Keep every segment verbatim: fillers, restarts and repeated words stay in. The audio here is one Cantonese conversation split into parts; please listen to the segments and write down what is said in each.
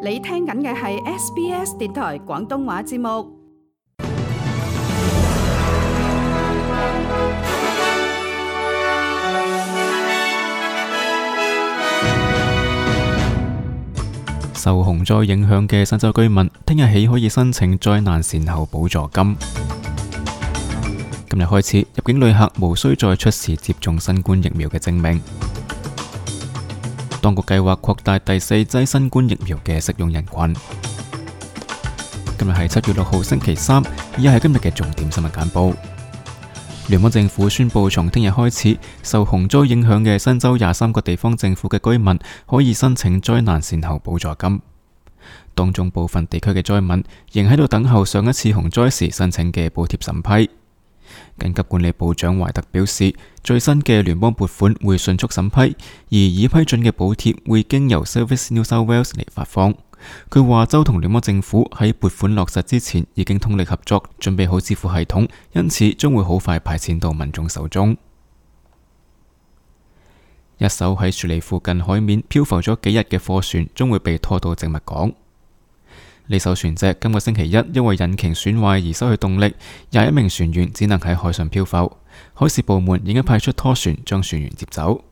你聽緊嘅係 S B S 電台廣東話節目。受洪災影響嘅新州居民，聽日起可以申請災難善後補助金。今日開始，入境旅客無需再出示接種新冠疫苗嘅證明。當局計劃擴大第四劑新冠疫苗嘅適用人群。今日係七月六號星期三，以下係今日嘅重點新聞簡報。聯邦政府宣布，從聽日開始，受洪災影響嘅新州廿三個地方政府嘅居民可以申請災難善後補助金。當中部分地區嘅災民仍喺度等候上一次洪災時申請嘅補貼審批。緊急管理部長懷特表示，最新嘅聯邦撥款會迅速審批，而已批准嘅補貼會經由 Service New South Wales 嚟發放。佢話州同聯邦政府喺撥款落實之前已經通力合作，準備好支付系統，因此將會好快派錢到民眾手中。一艘喺雪梨附近海面漂浮咗幾日嘅貨船將會被拖到植物港。呢艘船隻今個星期一因為引擎損壞而失去動力，廿一名船員只能喺海上漂浮。海事部門已經派出拖船將船員接走。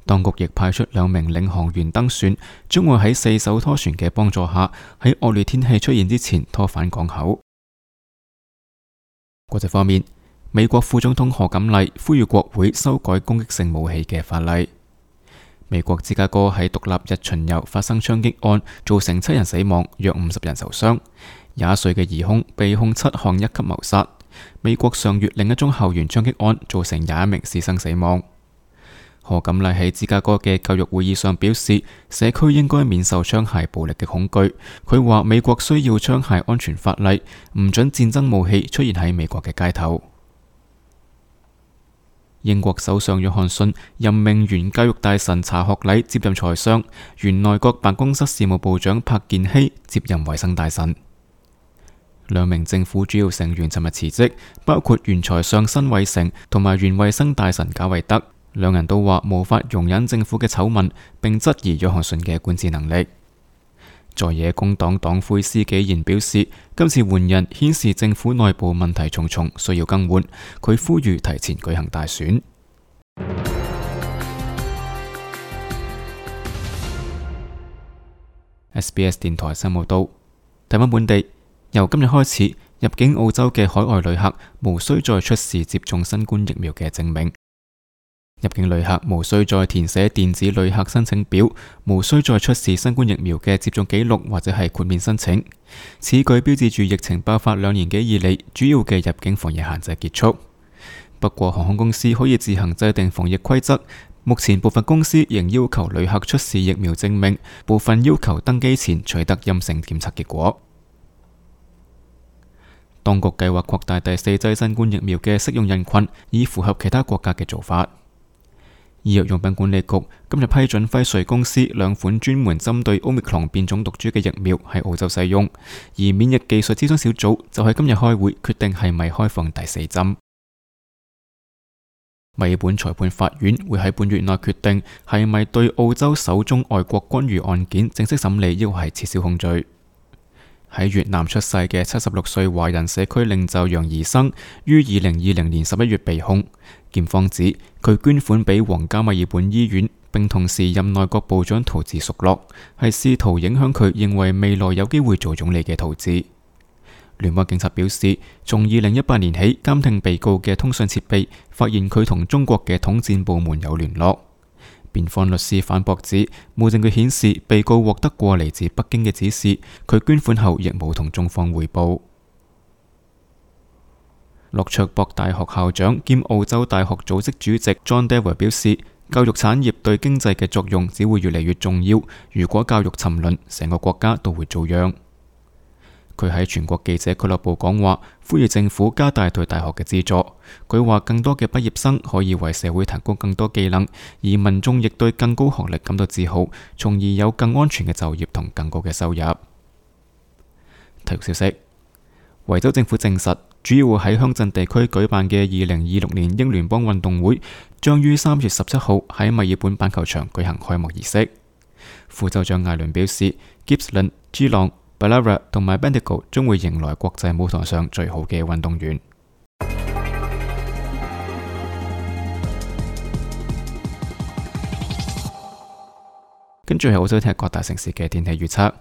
當局亦派出兩名領航員登船，將會喺四艘拖船嘅幫助下，喺惡劣天氣出現之前拖返港口。國際方面，美國副總統賀錦麗呼籲國會修改攻擊性武器嘅法例。美國芝加哥喺獨立日巡遊發生槍擊案，造成七人死亡，約五十人受傷。廿一歲嘅疑兇被控七項一級謀殺。美國上月另一宗校園槍擊案造成廿一名師生死亡。賀錦麗喺芝加哥嘅教育會議上表示，社區應該免受槍械暴力嘅恐懼。佢話美國需要槍械安全法例，唔准戰爭武器出現喺美國嘅街頭。英國首相約翰遜任命原教育大臣查學禮接任財相，原內閣辦公室事務部長柏健希接任衛生大臣。兩名政府主要成員尋日辭職，包括原財相辛偉誠同埋原衛生大臣賈維德。兩人都話無法容忍政府嘅醜聞，並質疑約翰遜嘅管治能力。在野工黨黨魁施紀賢表示，今次換人顯示政府內部問題重重，需要更換。佢呼籲提前舉行大選。S B S 電台新聞報道，睇返本地，由今日開始，入境澳洲嘅海外旅客無需再出示接種新冠疫苗嘅證明。入境旅客無需再填寫電子旅客申請表，無需再出示新冠疫苗嘅接種記錄或者係豁免申請。此舉標誌住疫情爆發兩年幾以嚟主要嘅入境防疫限制結束。不過航空公司可以自行制定防疫規則，目前部分公司仍要求旅客出示疫苗證明，部分要求登機前取得陰性檢測結果。當局計劃擴大第四劑新冠疫苗嘅適用人群，以符合其他國家嘅做法。醫藥用品管理局今日批准輝瑞公司兩款專門針對 Omicron 變種毒株嘅疫苗喺澳洲使用，而免疫技術諮詢小組就喺今日開會決定係咪開放第四針。墨爾本裁判法院會喺本月內決定係咪對澳洲首宗外國干預案件正式審理，抑或係撤銷控罪。喺越南出世嘅七十六歲華人社區領袖楊怡生於二零二零年十一月被控，檢方指佢捐款俾皇家墨爾本醫院，並同時任內閣部長陶治熟落，係試圖影響佢認為未來有機會做總理嘅陶治。聯邦警察表示，從二零一八年起監聽被告嘅通訊設備，發現佢同中國嘅統戰部門有聯絡。辯方律師反駁指，冇證據顯示被告獲得過嚟自北京嘅指示，佢捐款後亦冇同中方匯報。洛卓博大學校長兼澳洲大學組織主席 John Dewar 表示，教育產業對經濟嘅作用只會越嚟越重要，如果教育沉淪，成個國家都會遭殃。佢喺全國記者俱樂部講話，呼籲政府加大對大學嘅資助。佢話更多嘅畢業生可以為社會提供更多技能，而民眾亦對更高學歷感到自豪，從而有更安全嘅就業同更高嘅收入。體育消息：維州政府證實，主要喺鄉鎮地區舉辦嘅二零二六年英聯邦運動會將於三月十七號喺墨爾本板球場舉行開幕儀式。副州長艾倫表示 ，Gippsland、G 朗、Ballarat 同埋 Bendigo 將會迎來國際舞台上最好嘅運動員。跟住係澳洲聽日各大城市嘅天氣預測：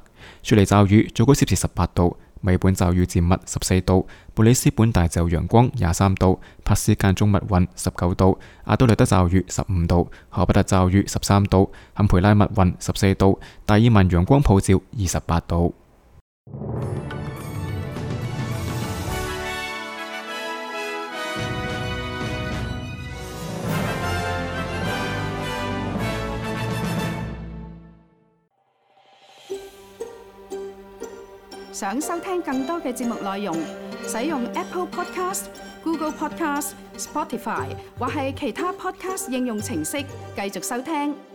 雪梨驟雨，最高攝氏十八度；墨爾本驟雨漸密十四度；布里斯本大驟陽光廿三度；珀斯間中密雲十九度；阿德萊德驟雨十五度；荷伯特驟雨十三度；坎培拉密雲十四度；達爾文陽光普照二十八度。想收聽更多嘅節目內容，使用 Apple Podcast、Google Podcast、Spotify 或係其他 Podcast 應用程式繼續收聽。